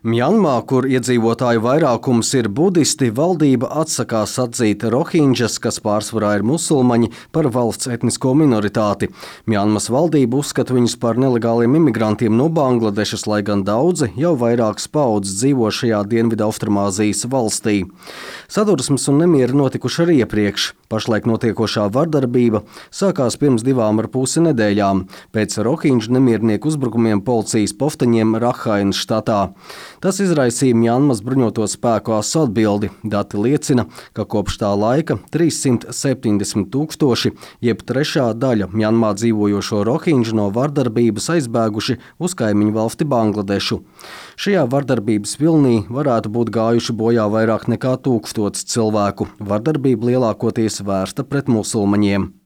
Mjanmā, kur iedzīvotāju vairākums ir budisti, valdība atsakās atzīt rohinģas, kas pārsvarā ir musulmaņi, par valsts etnisko minoritāti. Mjanmas valdība uzskata viņus par nelegāliem imigrantiem no Bangladešas, lai gan daudzi jau vairākas paudzes dzīvo šajā Dienvidaustrumāzijas valstī. Sadursmes un nemieri notikuši arī iepriekš. Pašlaik notiekošā vardarbība sākās pirms 2,5 nedēļām, pēc rohinģu nemiernieku uzbrukumiem policijas poftaņiem Rakhainas štatā. Tas izraisīja Mjanmas bruņoto spēku asu atbildi. Dati liecina, ka kopš tā laika 370 000, jeb trešā daļa Mjanmā dzīvojošo rohinģu no vardarbības aizbēguši uz kaimiņu valsti Bangladešu. Šajā vardarbības vilnī varētu būt gājuši bojā vairāk nekā 1000 cilvēku. Vardarbība lielākoties vērsta pret musulmaņiem.